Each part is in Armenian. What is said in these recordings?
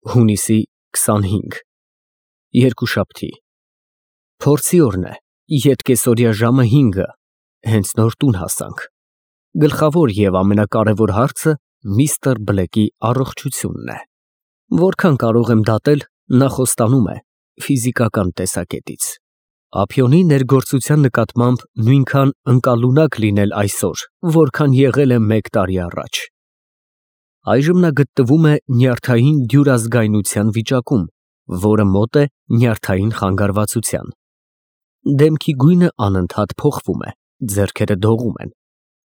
Հունիսի 25 Երկուշաբթի Փորձի օրն է, ետկեսօրյա ժամը 5-ը, հենց նոր տուն հասանք։ Գլխավոր և ամենակարևոր հարցը միստր Բլեքի առողջությունն է։ Որքան կարող եմ դատել, նա խոստանում է ֆիզիկական տեսակետից։ Ափիոնի ներգործության նկատմամբ նույնքան ընկալունակ լինել այսօր, որքան եղել է 1 տարի առաջ։ Այժմ նա գտնվում է նյարդային դյուրազգայնության վիճակում, որը մոտ է նյարդային խանգարվածության։ Դեմքի գույնը անընդհատ փոխվում է, ձեռքերը դողում են։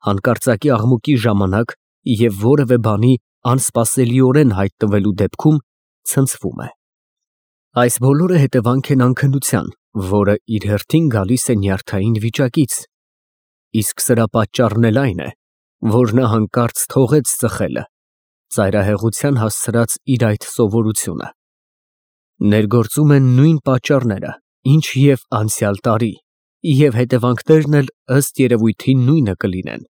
Հանկարծակի աղմուկի ժամանակ և որևէ բանի անսպասելիորեն հայտնվելու դեպքում ցնցվում է։ Այս բոլորը հետևանք են անքնության, որը իր հերթին գալիս է նյարդային վիճակից, իսկ սրա պատճառն էլ այն է, որ նա հանկարծ թողեց ծխելը, ծայրահեղության հասցրած իր այդ սովորությունը։ Ներգործում են նույն պատճառները, ինչ և անցյալ տարի, և հետևանքներն էլ ըստ երևույթին նույնը կլինեն։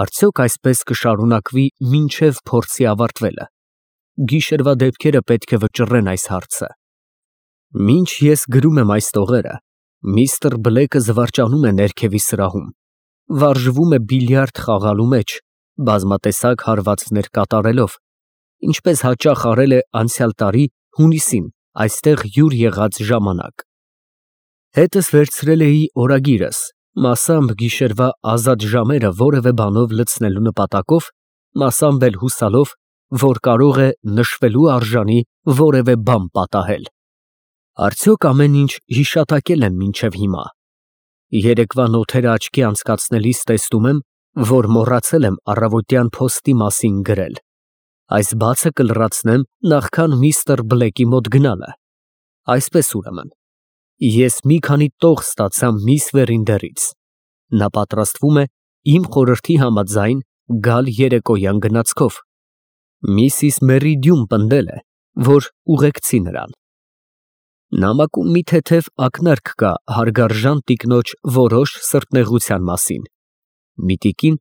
Արդյոք այսպես կշարունակվի մինչև փորձի ավարտվելը։ Գիշերվա դեպքերը պետք է վճռեն այս հարցը։ Մինչ ես գրում եմ այս տողերը, միստր Բլեքը զվարճանում է ներքևի սրահում, վարժվում է բիլիարդ խաղալու մեջ, բազմատեսակ հարվածներ կատարելով, ինչպես հաճախ արել է անցյալ տարի հունիսին այստեղ հյուր եղած ժամանակ։ Հետս վերցրել էի օրագիրս, մասամբ գիշերվա ազատ ժամերը որևէ բանով լցնելու նպատակով, մասամբ էլ հուսալով, որ կարող է նշվելու արժանի որևէ բան պատահել։ Արդյոք ամեն ինչ հիշատակել եմ մինչև հիմա։ Երեկվա նոթերը աչքի անցկացնելիս տեսնում եմ, որ մոռացել եմ առավոտյան փոստի մասին գրել։ Այս բացը կլրացնեմ նախքան միստր Բլեքի մոտ գնալը։ Այսպես ուրեմն, ես մի քանի տող ստացա միս Վերինդերից։ Նա պատրաստվում է իմ խորհրդի համաձայն գալ երեկոյան գնացքով։ Միսիս Մերիդյուն պնդել է, որ ուղեկցի նրան։ Նամակում մի թեթև ակնարկ կա հարգարժան տիկնոջ որոշ սրտնեղության մասին։ Մի տիկին,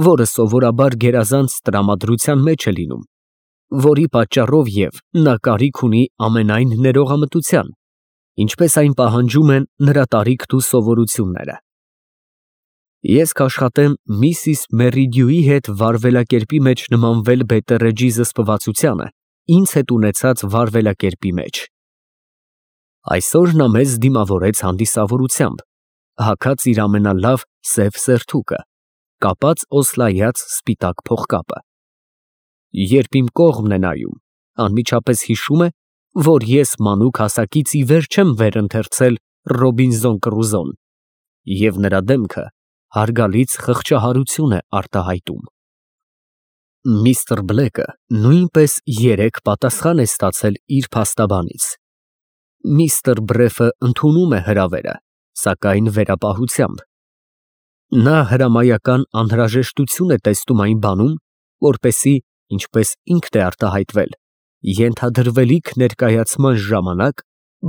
որը սովորաբար գերազանց տրամադրության մեջ է լինում, որի պատճառով և նա կարիք ունի ամենայն ներողամտության, ինչպես այն պահանջում են նրա տարիքն ու սովորությունները։ Ես կաշխատեմ միսիս Մերիդյուի հետ վարվելակերպի մեջ նմանվել Բետերեջի զսպվածությանը ինձ հետ ունեցած վարվելակերպի մեջ։ Այսօր նա մեզ դիմավորեց հանդիսավորությամբ, հագած իր ամենալավ սև սերթուկը, կապած օսլայած սպիտակ փողկապը։ Երբ իմ կողմն է նայում, անմիջապես հիշում է, որ ես մանուկ հասակից ի վեր չեմ վերընթերցել Ռոբինզոն Կրուզոն, և նրա դեմքը հարգալից խղճահարություն է արտահայտում։ Միստր Բլեքը նույնպես երեկ պատասխան է ստացել իր փաստաբանից։ Միստր Բրեֆը ընդունում է հրավերը, սակայն վերապահությամբ։ Նա հրամայական անհրաժեշտություն է տեսնում այն բանում, որպեսզի, ինչպես ինքն է արտահայտվել, ենթադրվելիք ներկայացման ժամանակ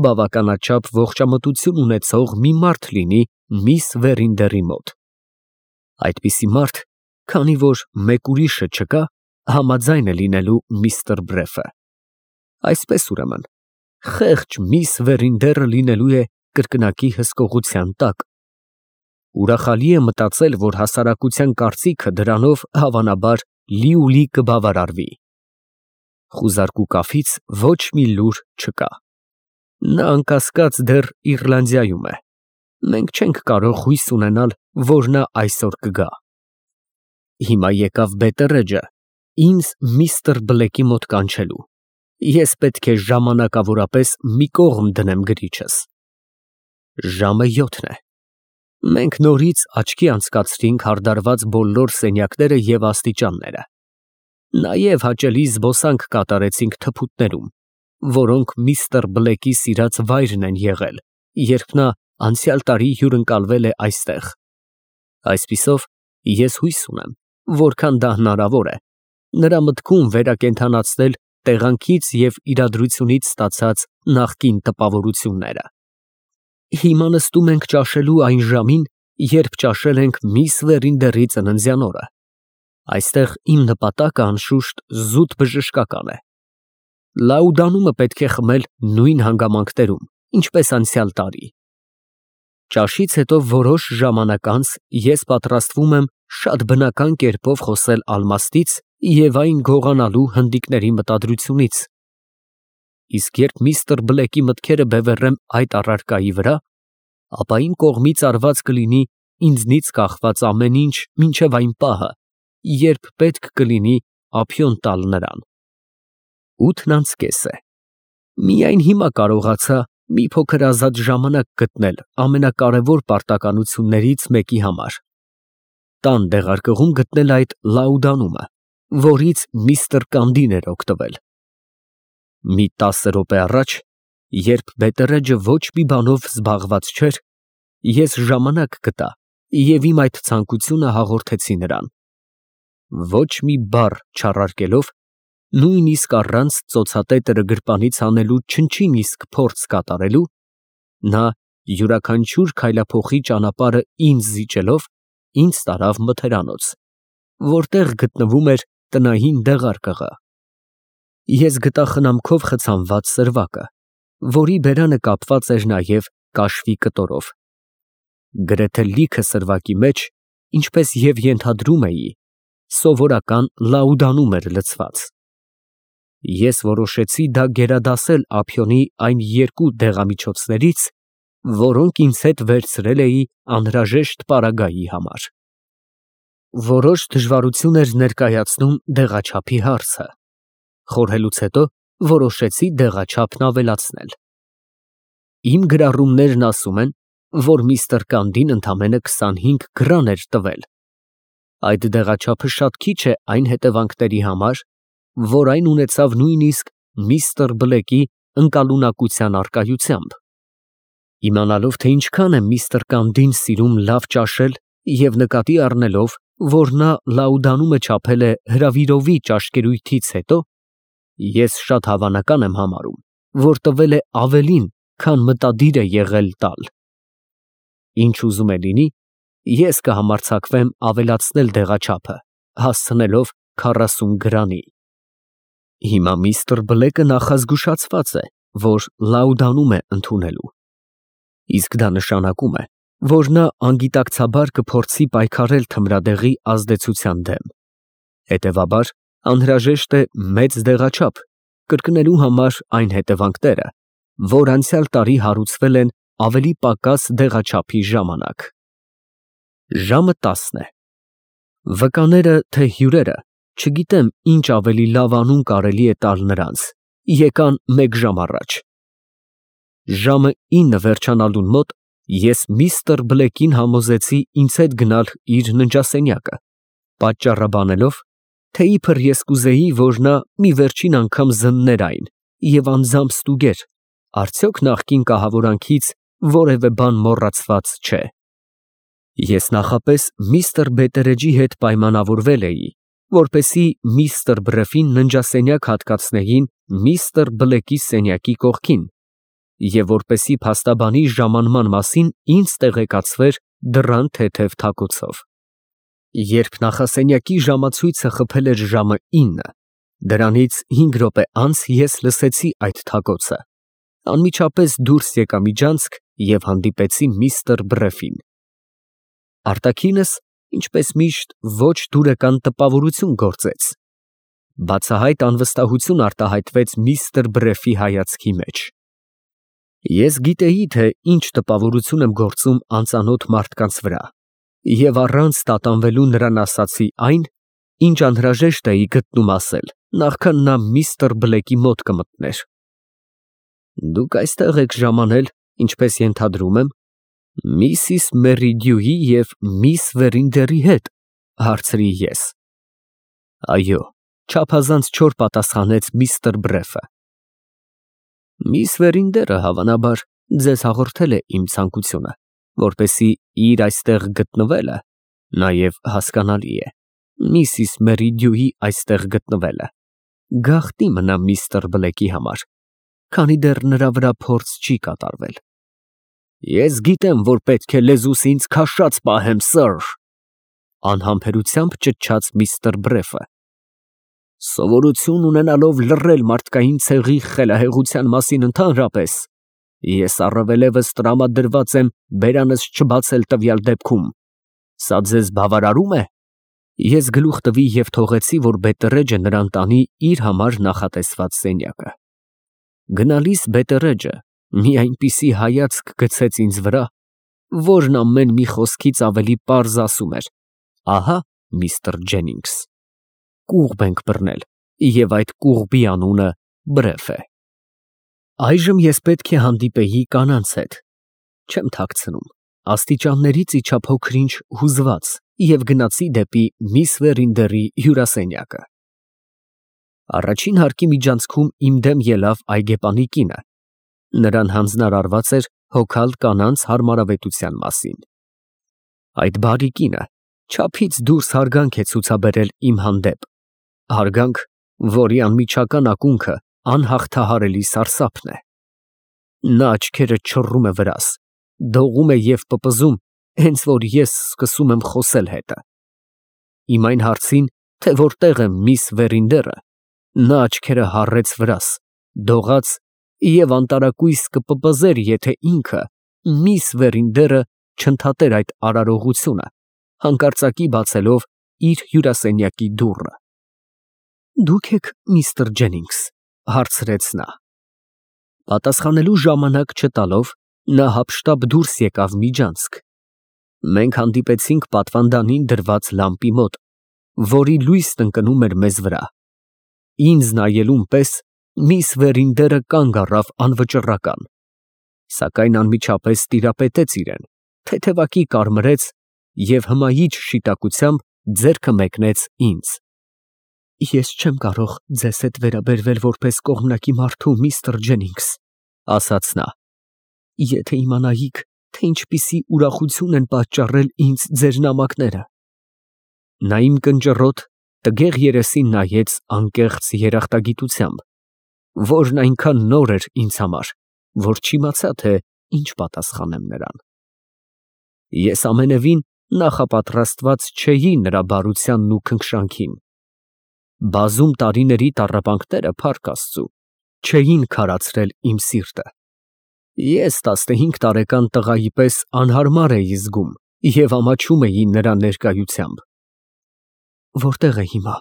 բավականաչափ ողջամտություն ունեցող մի մարդ լինի միս Վերինդերի մոտ։ Այդպիսի մարդ, քանի որ մեկ ուրիշը չկա, համաձայն է լինելու միստր Բրեֆը։ Այսպես ուրեմն, խեղճ միս Վերինդերը լինելու է կրկնակի հսկողության տակ։ Ուրախալի է մտածել, որ հասարակության կարծիքը դրանով հավանաբար լիուլի կբավարարվի։ Խուզարկու կաֆից ոչ մի լուր չկա։ Նա անկասկած դեռ Իռլանդիայում է։ Մենք չենք կարող հույս ունենալ, որ նա այսօր կգա։ Հիմա եկավ Բետերեջը ինձ միստր Բլեքի մոտ կանչելու։ Ես պետք է ժամանակավորապես մի կողմ դնեմ գրիչս։ Ժամը 7 է։ Մենք նորից աչքի անցկացրինք հարդարված բոլոր սենյակները և աստիճանները։ Նաև հաճելի զբոսանք կատարեցինք թփուտներում, որոնք միստր Բլեքի սիրած վայրն են եղել, երբ նա անցյալ տարի հյուրընկալվել է այստեղ։ Այսպիսով, ես հույս ունեմ, որքան դա հնարավոր է, նրա մտքում վերակենդանացնել տեղանքից և իրադրությունից ստացած նախկին տպավորությունները։ Հիմա նստում ենք ճաշելու այն ժամին, երբ ճաշել ենք միս Վերինդերի ծննդյան օրը։ Այստեղ իմ նպատակը անշուշտ զուտ բժշկական է։ Լաուդանումը պետք է խմել նույն հանգամանքներում, ինչպես անցյալ տարի։ Ճաշից հետո որոշ ժամանակ անց ես պատրաստվում եմ շատ բնական կերպով խոսել Ալմաստից և այն գողանալու հնդիկների մտադրությունից։ Իսկ երբ միստր Բլեքի մտքերը բևեռեմ այդ առարկայի վրա, ապա իմ կողմից արված կլինի ինձնից կախված ամեն ինչ մինչև այն պահը, երբ պետք կլինի ափիոն տալ նրան։ 8:30 է։ Միայն հիմա կարողացա մի փոքր ազատ ժամանակ գտնել ամենակարևոր պարտականություններից մեկի համար՝ տան դեղարկղում գտնել այդ լաուդանումը, որից միստր Կանդին էր օգտվել։ Մի 10 րոպե առաջ, երբ բետերեջը ոչ մի բանով զբաղված չէր, ես ժամանակ գտա և իմ այդ ցանկությունը հաղորդեցի նրան։ Ոչ մի բառ չառարկելով, նույնիսկ առանց ծոցատետրը գրպանից հանելու չնչին իսկ փորձ կատարելու, նա յուրաքանչյուր քայլափոխի ճանապարհը ինձ զիջելով, ինձ տարավ մթերանոց, որտեղ գտնվում էր տնային դեղարկղը։ Ես գտա խնամքով խցանված սրվակը, որի բերանը կապված էր նաև կաշվի կտորով։ Գրեթե լիքը սրվակի մեջ, ինչպես և ենթադրում էի, սովորական լաուդանում էր լցված։ Ես որոշեցի դա գերադասել ափիոնի այն երկու դեղամիջոցներից, որոնք ինձ հետ վերցրել էի անհրաժեշտ պարագայի համար։ Որոշ դժվարություն էր ներկայացնում դեղաչափի հարցը։ Խորհելուց հետո որոշեցի դեղաչափն ավելացնել։ Իմ գրառումներն ասում են, որ միստր Կանդին ընդամենը 25 գրան էր տվել։ Այդ դեղաչափը շատ քիչ է այն հետևանքների համար, որ այն ունեցավ նույնիսկ միստր Բլեկի ընկալունակության առկայությամբ։ Իմանալով, թե ինչքան է միստր Կանդին սիրում լավ ճաշել և նկատի առնելով, որ նա լաուդանումը չափել է հրավիրովի ճաշկերույթից հետո, ես շատ հավանական եմ համարում, որ տվել է ավելին, քան մտադիր է եղել տալ։ Ինչ ուզում է լինի, ես կհամարձակվեմ ավելացնել դեղաչափը, հասցնելով 40 գրանի։ Հիմա միստր Բլեկը նախազգուշացված է, որ լաուդանում է ընդունելու։ Իսկ դա նշանակում է, որ նա անգիտակցաբար կփորձի պայքարել թմրադեղի ազդեցության դեմ։ Հետևաբար, անհրաժեշտ է մեծ դեղաչափ, կրկնելու համար այն հետևանքները, որ անցյալ տարի հարուցվել են ավելի պակաս դեղաչափի ժամանակ։ Ժամը 10 է։ Վկաները, թե հյուրերը, չգիտեմ ինչ ավելի լավ անուն կարելի է տալ նրանց, եկան մեկ ժամ առաջ։ Ժամը 9 վերջանալուն մոտ ես միստր Բլեկին համոզեցի ինձ հետ գնալ իր ննջասենյակը, պատճառաբանելով, թե իբր ես կուզեի, որ նա մի վերջին անգամ զններ այն և անձամբ ստուգեր, արդյոք նախկին կահավորանքից որևէ բան մոռացված չէ։ Ես նախապես միստր Բետերեջի հետ պայմանավորվել էի, որպեսզի միստր Բրեֆին ննջասենյակ հատկացնեին միստր Բլեկի սենյակի կողքին և որպեսզի փաստաբանի ժամանման մասին ինձ տեղեկացվեր դռան թեթև թակոցով։ Երբ նախասենյակի ժամացույցը խփել էր ժամը 9, դրանից 5 րոպե անց ես լսեցի այդ թակոցը, անմիջապես դուրս եկա միջանցք և հանդիպեցի միստր Բրեֆին։ Արտաքինս, ինչպես միշտ, ոչ դուրեկան տպավորություն գործեց։ Բացահայտ անվստահություն արտահայտվեց միստր Բրեֆի հայացքի մեջ։ Ես գիտեի, թե ինչ տպավորություն եմ գործում անծանոթ մարդկանց վրա, և առանց տատանվելու նրան ասացի այն, ինչ անհրաժեշտ էի գտնում ասել, նախքան նա միստր Բլեկի մոտ կմտներ։ Դուք այստեղ եք ժամանել, ինչպես ենթադրում եմ, Միսիս Մերիդյուի և միս Վերինդերի հետ, հարցրի ես։ Այո, չափազանց չոր պատասխանեց միստր Բրեֆը։ Միս Վերինդերը, հավանաբար, ձեզ հաղորդել է իմ ցանկությունը, որպեսզի իր այստեղ գտնվելը, նաև հասկանալի է, Միսիս Մերիդյուի այստեղ գտնվելը, գաղտնի մնա միստր Բլեկի համար, քանի դեռ նրա վրա փորձ չի կատարվել։ Ես գիտեմ, որ պետք է լեզուս ինձ քաշած պահեմ, սըր, անհամբերությամբ ճչաց միստր Բրեֆը։ Սովորություն ունենալով լռել մարդկային ցեղի խելահեղության մասին ընդհանրապես, ես առավելևս տրամադրված եմ բերանս չբացել տվյալ դեպքում։ Սա ձեզ բավարարում է։ Ես գլուխ տվի և թողեցի, որ Բետերեջը նրան տանի իր համար նախատեսված սենյակը։ Գնալիս Բետերեջը մի այնպիսի հայացք գցեց ինձ վրա, որն ամեն մի խոսքից ավելի պարզ ասում էր. ահա միստր Ջենինգս, կուղբ ենք բռնել, և այդ կուղբի անունը Բրեֆ է։ Այժմ ես պետք է հանդիպեի կանանց հետ։ Չեմ թաքցնում, աստիճաններից իջա փոքր-ինչ հուզված և գնացի դեպի միս Վերինդերի հյուրասենյակը։ Առաջին հարկի միջանցքում իմ դեմ ելավ այգեպանի կինը։ Նրան հանձնարարված էր հոգալ կանանց հարմարավետության մասին։ Այդ բարի կինը չափից դուրս հարգանք է ցուցաբերել իմ հանդեպ, հարգանք, որի անմիջական ակունքը անհաղթահարելի սարսափն է։ Նա աչքերը չռում է վրաս, դողում է և պպզում, հենց որ ես սկսում եմ խոսել հետը։ Իմ այն հարցին, թե որտեղ է միս Վերինդերը, նա աչքերը հառեց վրաս, դողաց և անտարակույս կպպզեր, եթե ինքը, միս Վերինդերը, չընդհատեր այդ արարողությունը, հանկարծակի բացելով իր հյուրասենյակի դուռը։ Դուք եք միստր Ջենինգս, հարցրեց նա։ Պատասխանելու ժամանակ չտալով, նա հափշտապ դուրս եկավ միջանցք։ Մենք հանդիպեցինք պատվանդանին դրված լամպի մոտ, որի լույսն ընկնում էր մեզ վրա։ Ինձ նայելուն պես միս Վերինդերը կանգ առավ անվճռական, սակայն անմիջապես տիրապետեց իրեն, թեթևակի կարմրեց և հմայիչ շիտակությամբ ձեռքը մեկնեց ինձ։ Ես չեմ կարող ձեզ հետ վերաբերվել որպես կողմնակի մարդու, միստր Ջենինգս, ասաց նա։ Եթե իմանայիք, թե ինչպիսի ուրախություն են պատճառել ինձ ձեր նամակները։ Նա իմ կնճռոտ, տգեղ երեսին նայեց անկեղծ երախտագիտությամբ, որն այնքան նոր էր ինձ համար, որ չիմացա, թե ինչ պատասխանեմ նրան։ Ես ամենևին նախապատրաստված չէի նրա բարությանն ու քնքշանքին։ Բազում տարիների տառապանքները, փառք Աստծու, չէին քարացրել իմ սիրտը։ Ես 15 տարեկան տղայի պես անհարմար էի զգում և ամաչում էի նրա ներկայությամբ։ Որտե՞ղ է հիմա,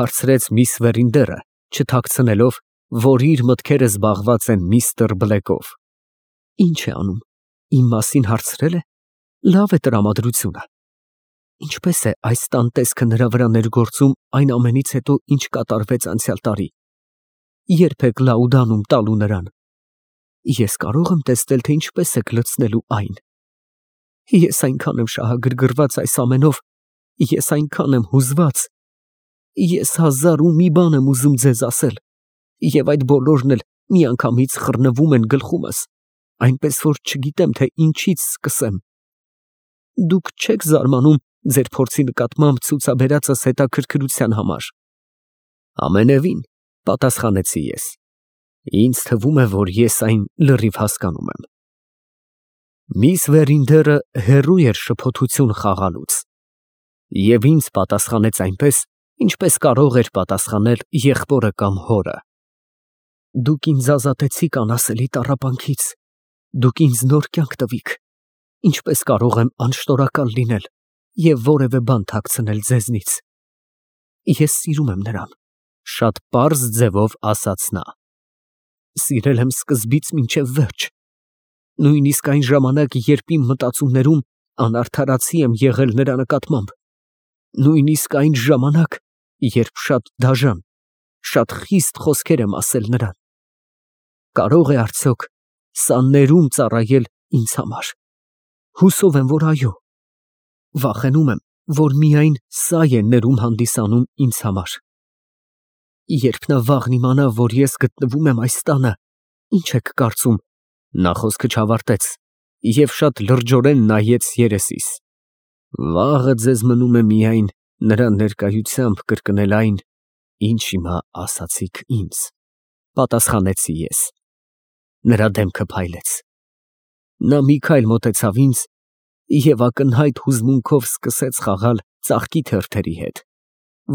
հարցրեց միս Վերինդերը, չթաքցնելով, որ իր մտքերը զբաղված են միստր Բլեքով։ Ինչ է անում, իմ մասին հարցրել է։ Լավ է տրամադրությունը։ Ինչպես է այս տան տեսքը նրա վրա ներգործում այն ամենից հետո, ինչ կատարվեց անցյալ տարի։ Ե՞րբ եք Լաուդանում տալու նրան։ Ես կարող եմ տեսնել, թե ինչպես եք լցնելու այն։ Ես այնքան եմ շահագրգռված այս ամենով, ես այնքան եմ հուզված։ Ես հազար ու մի բան եմ ուզում ձեզ ասել, և այդ բոլորն էլ միանգամից խռնվում են գլխումս, այնպես որ չգիտեմ, թե ինչից սկսեմ։ Դուք չեք զարմանում ձեր փորձի նկատմամբ ցուցաբերածս հետաքրքրության համար։ Ամենևին, պատասխանեցի ես։ Ինձ թվում է, որ ես այն լրիվ հասկանում եմ։ Միս Վերինդերը հեռու էր շփոթություն խաղալուց և ինձ պատասխանեց այնպես, ինչպես կարող էր պատասխանել եղբորը կամ հորը։ Դուք ինձ ազատեցիք անասելի տառապանքից, դուք ինձ նոր կյանք տվիք, ինչպես կարող եմ անշնորհակալ լինել և որևէ բան թաքցնել ձեզնից։ Ես սիրում եմ նրան, շատ պարզ ձևով ասաց նա։ Սիրել եմ սկզբից մինչև վերջ, նույնիսկ այն ժամանակ, երբ իմ մտածումներում անարդարացի եմ եղել նրա նկատմամբ, նույնիսկ այն ժամանակ, երբ շատ դաժան, շատ խիստ խոսքեր եմ ասել նրան։ Կարո՞ղ է արդյոք սա ներում ծառայել ինձ համար։ Հուսով եմ, որ այո։ Վախենում եմ, որ միայն սա է ներում հանդիսանում ինձ համար։ Երբ նա վաղն իմանա, որ ես գտնվում եմ այս տանը, ինչ եք կարծում։ Նա խոսքը չավարտեց և շատ լրջորեն նայեց երեսիս։ Վաղը ձեզ մնում է միայն նրա ներկայությամբ կրկնել այն, ինչ հիմա ասացիք ինձ, պատասխանեցի ես։ Նրա դեմքը փայլեց։ Նա մի քայլ մոտեցավ ինձ և ակնհայտ հուզմունքով սկսեց խաղալ ծաղկի թերթերի հետ,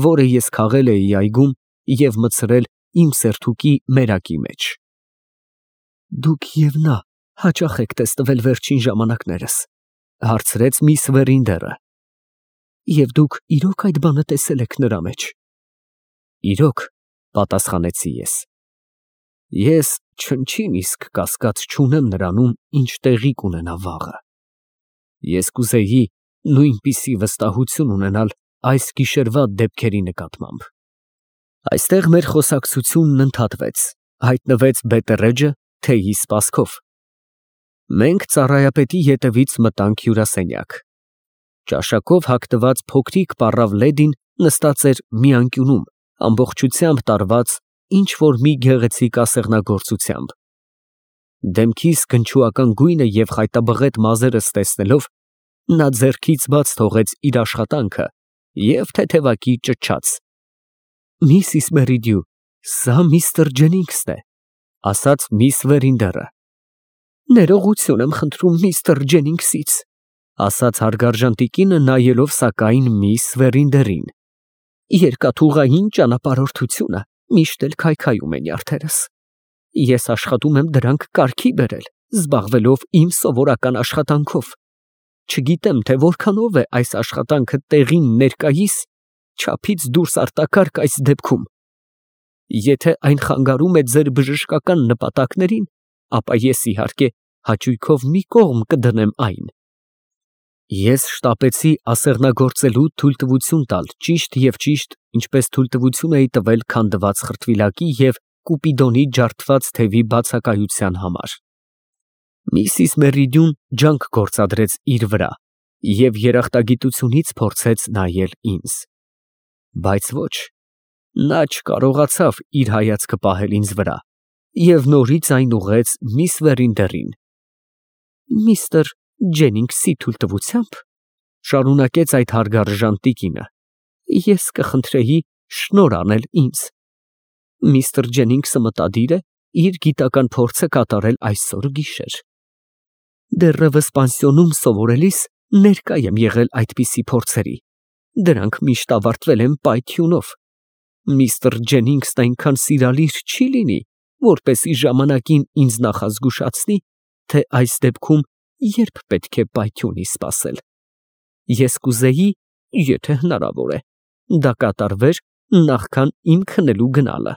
որը ես քաղել էի այգում և մտցրել իմ սերթուկի մերակի մեջ։ Դուք և նա հաճախ եք տեսնվել վերջին ժամանակներս, հարցրեց միս Վերինդերը։ Եվ դուք իրոք այդ բանը տեսել եք նրա մեջ։ Իրոք, պատասխանեցի ես։ Ես չնչին իսկ կասկած չունեմ նրանում, ինչ տեղի կունենա վաղը։ Ես կուզեի նույնպիսի վստահություն ունենալ այս գիշերվա դեպքերի նկատմամբ։ Այստեղ մեր խոսակցությունն ընդհատվեց, հայտնվեց Բետերեջը թեյի սպասքով։ Մենք ծառայապետի ետևից մտանք հյուրասենյակ։ Ճաշակով հագնված փոքրիկ պառավ լեդին նստած էր մի անկյունում, ամբողջությամբ տարված ինչ-որ մի գեղեցիկ ասեղնագործությամբ։ Դեմքիս գնչուական գույնը և խայտաբղետ մազերս տեսնելով, նա ձեռքից բաց թողեց իր աշխատանքը և թեթևակի ճչաց. Միսիս Մերիդյու, սա միստր Ջենինգսն է, ասաց միս Վերինդերը։ Ներողություն եմ խնդրում միստր Ջենինգսից, ասաց հարգարժան տիկինը, նայելով սակայն միս Վերինդերին։ Երկաթուղային ճանապարհորդությունը միշտ էլ քայքայում է նյարդերս։ Ես աշխատում եմ դրանք կարգի բերել, զբաղվելով իմ սովորական աշխատանքով։ Չգիտեմ, թե որքանով է այս աշխատանքը տեղին ներկայիս, չափից դուրս արտակարգ այս դեպքում։ Եթե այն խանգարում է ձեր բժշկական նպատակներին, ապա ես իհարկե հաճույքով մի կողմ կդնեմ այն։ Ես շտապեցի ասեղնագործելու թույլտվություն տալ ճիշտ և ճիշտ, ինչպես թույլտվություն էի տվել քանդված խրտվիլակի և կուպիդոնի ջարդված թևի բացակայության համար։ Միսիս Մերիդյուն ջանք գործադրեց իր վրա և երախտագիտությունից փորձեց նայել ինձ։ Բայց ոչ, նա չկարողացավ իր հայացքը պահել ինձ վրա և նորից այն ուղղեց միս Վերինդերին։ Միստր Ջենինգսի թույլտվությամբ, շարունակեց այդ հարգարժան տիկինը, ես կխնդրեի շնորհ անել ինձ։ Միստր Ջենինգսը մտադիր է իր գիտական փորձը կատարել այսօր գիշեր։ Դեռևս պանսիոնում սովորելիս ներկա եմ եղել այդպիսի փորձերի, դրանք միշտ ավարտվել են պայթյունով։ Միստր Ջենինգսն այնքան սիրալիր չի լինի, որպեսզի ժամանակին ինձ նախազգուշացնի, թե այս դեպքում երբ պետք է պայթյունի սպասել։ Ես կուզեի, եթե հնարավոր է, դա կատարվեր նախքան իմ քնելու գնալը։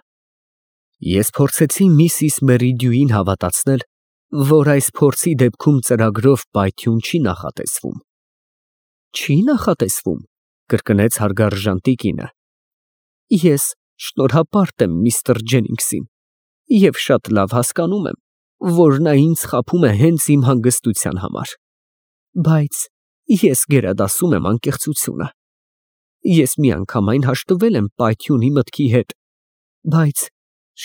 Ես փորձեցի միսիս Մերիդյուին հավատացնել, որ այս փորձի դեպքում ծրագրով պայթյուն չի նախատեսվում։ Չի նախատեսվում, կրկնեց հարգարժան տիկինը։ Ես շնորհապարտ եմ միստր Ջենինգսին և շատ լավ հասկանում եմ, որ նա ինձ խաբում է հենց իմ հանգստության համար։ Բայց ես գերադասում եմ անկեղծությունը։ Ես միանգամայն հաշտվել եմ պայթյունի մտքի հետ, բայց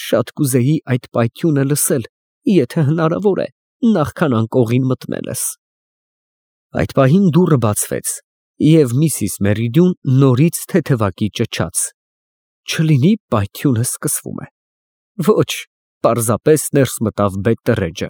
շատ կուզեի այդ պայթյունը լսել, եթե հնարավոր է, նախքան անկողին մտնելս։ Այդ պահին դուռը բացվեց, և միսիս Մերիդյուն նորից թեթևակի ճչաց։ Չլինի պայթյունը սկսվում է։ Ոչ, պարզապես ներս մտավ Բետտերեջը։